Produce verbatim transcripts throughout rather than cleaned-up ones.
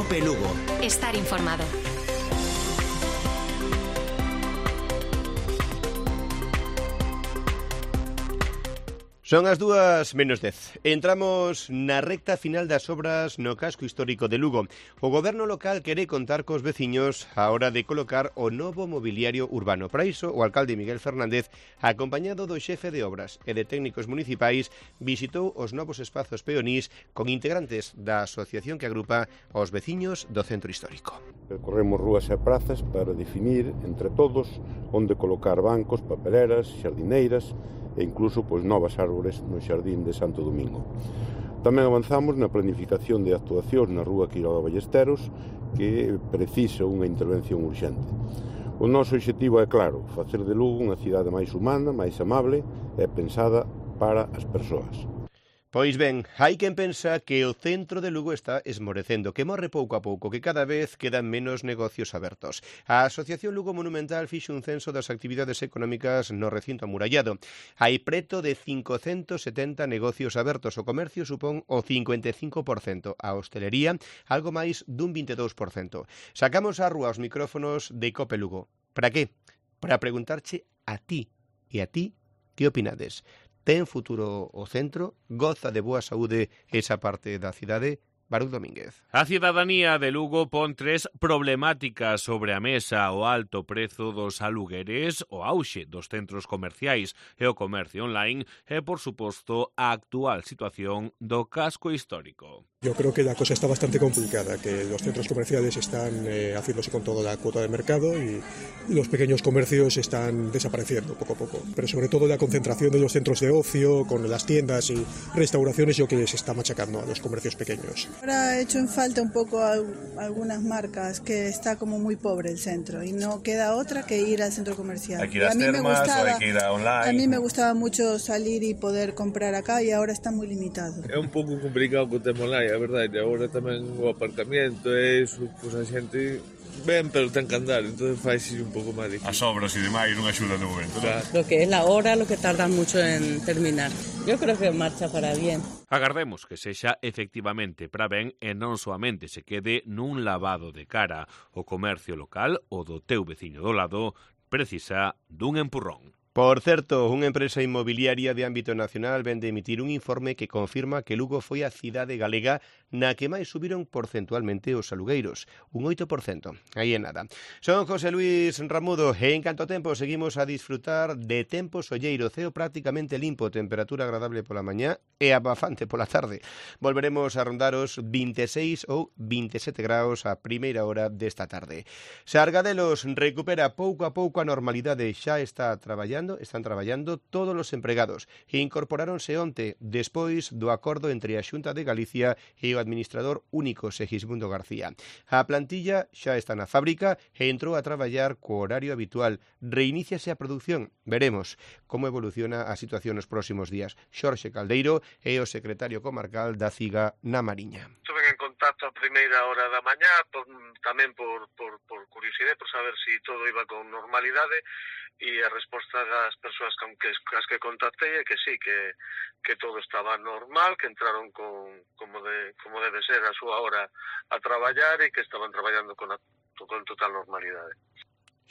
COPE Lugo. Estar informado. Son as dúas menos dez. Entramos na recta final das obras no casco histórico de Lugo. O goberno local quere contar cos veciños á hora de colocar o novo mobiliario urbano. Para iso, o alcalde Miguel Fernández, acompañado do xefe de obras e de técnicos municipais, visitou os novos espazos peonís con integrantes da asociación que agrupa aos veciños do centro histórico. Percorremos rúas e prazas para definir entre todos onde colocar bancos, papeleras, xardineiras e incluso pois, novas árbores no xardín de Santo Domingo. Tamén avanzamos na planificación de actuacións na rúa Quiroga Ballesteros, que precisa unha intervención urxente. O noso obxectivo é claro, facer de Lugo unha cidade máis humana, máis amable e pensada para as persoas. Pois ben, hai quen pensa que o centro de Lugo está esmorecendo, que morre pouco a pouco, que cada vez quedan menos negocios abertos. A Asociación Lugo Monumental fixo un censo das actividades económicas no recinto amurallado. Hai preto de cincocentos setenta negocios abertos, o comercio supón o cincuenta e cinco por cento, a hostelería algo máis dun vinte e dous por cento. Sacamos á rúa os micrófonos de COPE Lugo. Para que? Para preguntarche a ti e a ti que opinades. Ten futuro o centro? Goza de boa saúde esa parte da cidade? Baruch Domínguez. A cidadanía de Lugo pon tres problemáticas sobre a mesa: o alto prezo dos alugueres, o auxe dos centros comerciais e o comercio online e, por suposto, a actual situación do casco histórico. Yo creo que la cosa está bastante complicada, que los centros comerciales están eh, haciéndose con toda la cuota de mercado y los pequeños comercios están desapareciendo poco a poco. Pero sobre todo la concentración de los centros de ocio, con las tiendas y restauraciones, yo creo que se está machacando a los comercios pequeños. Ahora ha hecho en falta un poco a algunas marcas, que está como muy pobre el centro y no queda otra que ir al centro comercial. Hay que ir a las termas, gustaba, o hay que ir a online. A mí me gustaba mucho salir y poder comprar acá y ahora está muy limitado. É un pouco complicado co tema online, a verdade. Agora tamén o aparcamiento e iso, pois a xente ven, pero ten que andar, entón faise un pouco máis difícil. As obras e demais non axudan no momento, claro. ¿no? Lo que é la hora, lo que tardan mucho en terminar. Yo creo que marcha para bien. Agardemos que sexa efectivamente para ben e non soamente se quede nun lavado de cara. O comercio local, o do teu veciño do lado, precisa dun empurrón. Por certo, unha empresa inmobiliaria de ámbito nacional ven de emitir un informe que confirma que Lugo foi a cidade galega na que máis subiron porcentualmente os alugueiros, un oito por cento. Aí é nada. Son José Luis Ramudo e en canto tempo seguimos a disfrutar de tempo solleiro, ceo prácticamente limpo, temperatura agradable pola mañá e abafante pola tarde. Volveremos a rondar os vinte e seis ou vinte e sete graus a primeira hora desta tarde. Sargadelos recupera pouco a pouco a normalidade, xa está traballando están traballando todos os empregados e incorporáronse onte despois do acordo entre a Xunta de Galicia e o administrador único Segismundo García. A plantilla xa está na fábrica e entrou a traballar co horario habitual. Reiníciase a produción. Veremos como evoluciona a situación nos próximos días. Xorxe Caldeiro é o secretario comarcal da CIGA na Mariña. Estuve en contacto a primeira hora da mañá, por, tamén por, por, por curiosidade, por saber se si todo iba con normalidade, e a resposta das persoas con que, as que contactei é que sí, que, que todo estaba normal, que entraron con, como, de, como debe ser a súa hora a traballar e que estaban traballando con, a, con total normalidade.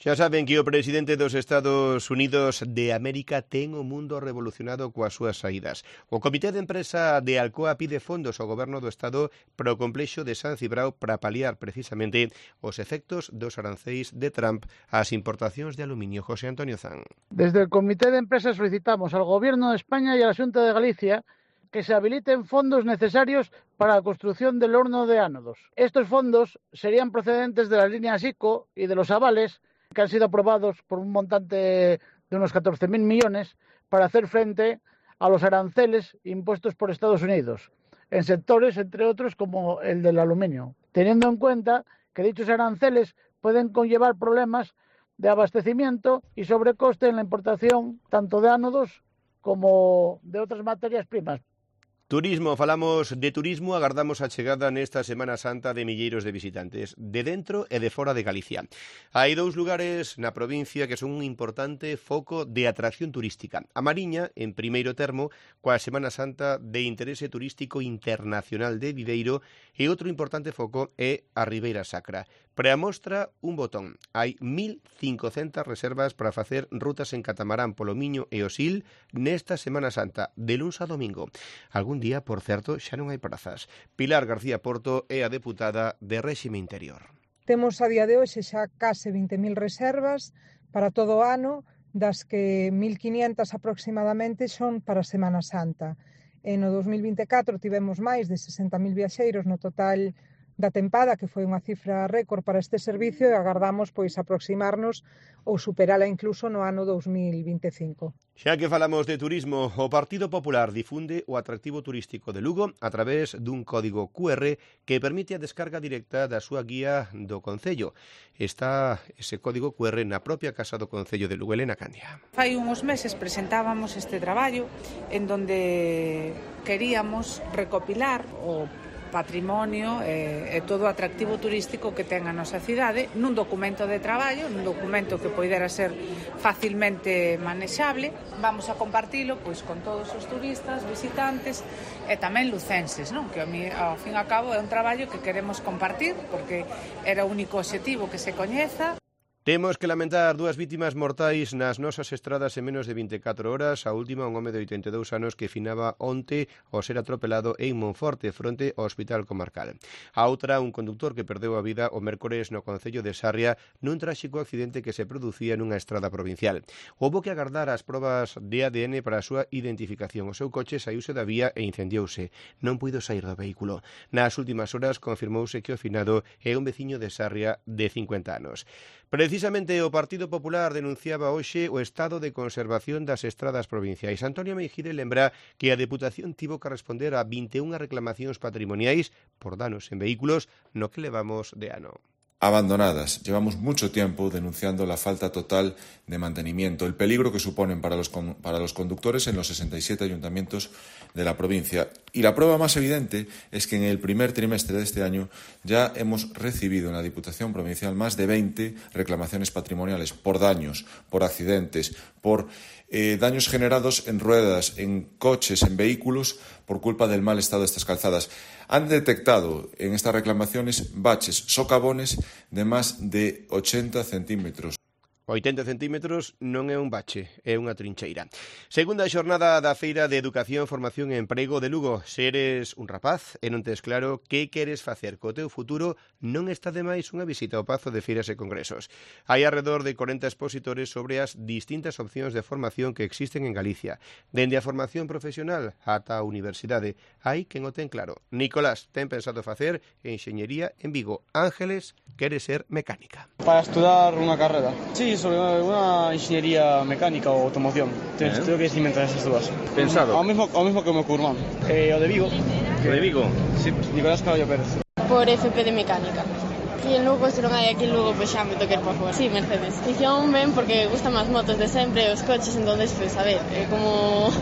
Xa saben que o presidente dos Estados Unidos de América ten o mundo revolucionado coas súas saídas. O Comité de Empresa de Alcoa pide fondos ao goberno do Estado para o complexo de San Cibrao para paliar precisamente os efectos dos aranceis de Trump ás importacións de aluminio. José Antonio Zan. Desde el Comité de Empresa solicitamos al Gobierno de España y a la Xunta de Galicia que se habiliten fondos necesarios para la construcción del horno de ánodos. Estos fondos serían procedentes de la línea SICO y de los avales que han sido aprobados por un montante de unos catorce mil millones para hacer frente a los aranceles impuestos por Estados Unidos, en sectores, entre otros, como el del aluminio, teniendo en cuenta que dichos aranceles pueden conllevar problemas de abastecimiento y sobrecoste en la importación tanto de ánodos como de otras materias primas. Turismo, falamos de turismo, agardamos a chegada nesta Semana Santa de milleiros de visitantes, de dentro e de fora de Galicia. Hai dous lugares na provincia que son un importante foco de atracción turística. A Mariña, en primeiro termo, coa Semana Santa de interese turístico internacional de Viveiro, e outro importante foco é a Ribeira Sacra. Para a mostra, un botón. Hai mil cincocentas reservas para facer rutas en catamarán polo Miño e o Sil nesta Semana Santa, de luns a domingo. Algún día, por certo, xa non hai prazas. Pilar García Porto é a deputada de Réxime Interior. Temos a día de hoxe xa case vinte mil reservas para todo o ano, das que mil quinientas aproximadamente son para a Semana Santa. E no dos mil vinte e catro tivemos máis de sesenta mil viaxeiros no total da tempada, que foi unha cifra récord para este servicio, e agardamos pois aproximarnos ou superala incluso no ano dos mil vinte e cinco. Xa que falamos de turismo, o Partido Popular difunde o atractivo turístico de Lugo a través dun código cu erre que permite a descarga directa da súa guía do Concello. Está ese código cu erre na propia Casa do Concello de Lugo. Elena Candia. Fai uns meses presentábamos este traballo en donde queríamos recopilar o patrimonio e, e todo o atractivo turístico que ten a nosa cidade nun documento de traballo, nun documento que poidera ser facilmente manexable. Vamos a compartilo pois con todos os turistas, visitantes e tamén lucenses, non? Que a mí, ao fin e ao cabo, é un traballo que queremos compartir porque era o único obxectivo que se coñeza. Temos que lamentar dúas vítimas mortais nas nosas estradas en menos de vinte e catro horas. A última, un home de oitenta e dous anos que finaba onte ao ser atropelado en Monforte, fronte ao Hospital Comarcal. A outra, un conductor que perdeu a vida o mércores no Concello de Sarria nun tráxico accidente que se producía nunha estrada provincial. Houbo que agardar as probas de A D N para a súa identificación. O seu coche saíuse da vía e incendiouse. Non puido sair do vehículo. Nas últimas horas confirmouse que o finado é un veciño de Sarria de cincuenta anos. Precisamente o Partido Popular denunciaba hoxe o estado de conservación das estradas provinciais. Antonio Meijide lembra que a Deputación tivo que responder a vinte e unha reclamacións patrimoniais por danos en vehículos no que levamos de ano. Abandonadas. Llevamos mucho tiempo denunciando la falta total de mantenimiento, el peligro que suponen para los, para los conductores en los sesenta y siete ayuntamientos de la provincia. Y la prueba más evidente es que en el primer trimestre de este año ya hemos recibido en la Diputación Provincial más de veinte reclamaciones patrimoniales por daños, por accidentes, por eh, daños generados en ruedas, en coches, en vehículos, por culpa del mal estado de estas calzadas. Han detectado en estas reclamaciones baches, socavones de más de ochenta centímetros. oitenta centímetros non é un bache, é unha trincheira. Segunda xornada da Feira de Educación, Formación e Emprego de Lugo. Se eres un rapaz e non tes claro que queres facer co teu futuro, non está de máis unha visita ao Pazo de Feiras e Congresos. Hai alrededor de corenta expositores sobre as distintas opcións de formación que existen en Galicia. Dende a formación profesional ata a universidade. Hai quen o ten claro. Nicolás ten pensado facer enxeñería en Vigo. Ángeles quere ser mecánica. Para estudar unha carrera. Sí, sobre una ingeniería mecánica o automoción. Tengo, tengo que decidir entre esas dúas. Pensado? Ao mismo, ao mismo que o meu curmán. Eh, o de Vigo. O de Vigo? Sí, Nicolás Caballo Pérez. Por F P de mecánica. Aquí en Lugo, se non hai aquí en Lugo, pois xa me toquer para fora. Sí, Mercedes. Dicción ben porque gustan máis motos de sempre, os coches, entonces, pois, a ver, é como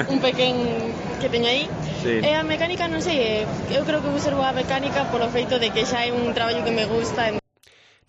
un pequén que teño aí. Sí. E a mecánica, non sei, eu creo que vou ser boa mecánica polo feito de que xa é un traballo que me gusta.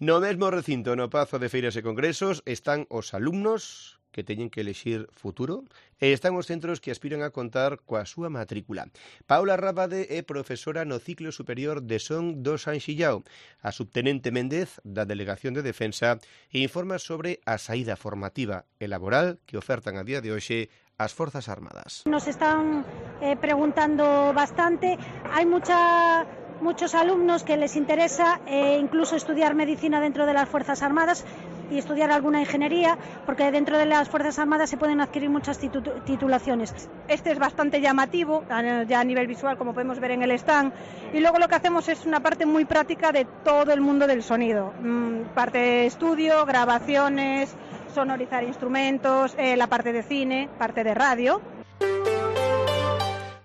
No mesmo recinto, no Pazo de Feiras e Congresos, están os alumnos que teñen que elexir futuro e están os centros que aspiran a contar coa súa matrícula. Paula Rábade é profesora no ciclo superior de Son do Sanxillao. A subtenente Méndez, da Delegación de Defensa, informa sobre a saída formativa e laboral que ofertan a día de hoxe as Forzas Armadas. Nos están eh, preguntando bastante. Hai mucha... muchos alumnos que les interesa eh, incluso estudiar medicina dentro de las Fuerzas Armadas y estudiar alguna ingeniería, porque dentro de las Fuerzas Armadas se pueden adquirir muchas titu titulaciones. Este es bastante llamativo, ya a nivel visual, como podemos ver en el stand, y luego lo que hacemos es una parte muy práctica de todo el mundo del sonido, mm, parte de estudio, grabaciones, sonorizar instrumentos, eh, la parte de cine, parte de radio.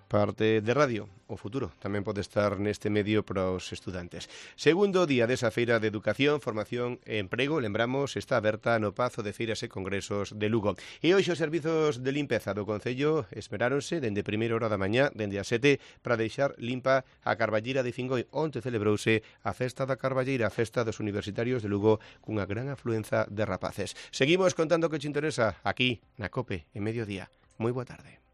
Parte de radio. o futuro tamén pode estar neste medio para os estudantes. Segundo día desa feira de Educación, Formación e Emprego, lembramos, está aberta no Pazo de Feiras e Congresos de Lugo. E hoxe os servizos de limpeza do Concello esmeráronse dende primeira hora da mañá, dende as sete, para deixar limpa a Carballeira de Fingoi. Onte celebrouse a Festa da Carballeira, a Festa dos Universitarios de Lugo, cunha gran afluenza de rapaces. Seguimos contando que te interesa aquí na COPE en Mediodía. Moi boa tarde.